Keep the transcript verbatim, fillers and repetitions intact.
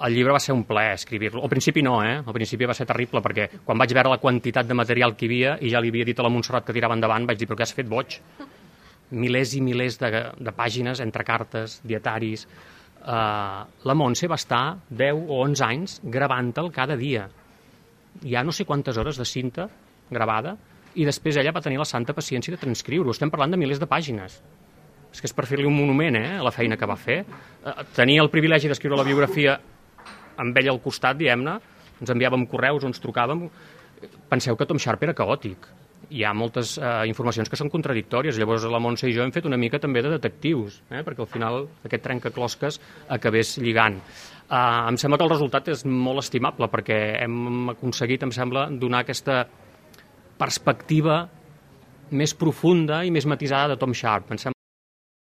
el llibre va ser un plaer escriure-lo. Al principi no, eh? Al principi va ser terrible, perquè quan vaig veure la quantitat de material que hi havia, i ja li havia dit a la Montserrat que tirava endavant, vaig dir, però què has fet, boig? Milers i milers de, de pàgines, entre cartes, dietaris. Uh, la Montse va estar deu o onze anys gravant-te'l cada dia. Hi ha no sé quantes hores de cinta gravada, i després ella va tenir la santa paciència de transcriure-ho. Estem parlant de milers de pàgines. És que és per fer-li un monument, eh, a la feina que va fer. Uh, tenia el privilegi d'escriure la biografia amb ell al costat, diguem-ne, ens enviàvem correus, ens trucàvem. Penseu que Tom Sharp era caòtic. Hi ha moltes uh, informacions que són contradictòries. Llavors la Montse i jo hem fet una mica també de detectius, eh, perquè al final aquest trencaclosques acabés lligant. Uh, em sembla que el resultat és molt estimable, perquè hem aconseguit, em sembla, donar aquesta perspectiva més profunda i més matisada de Tom Sharp. Em sembla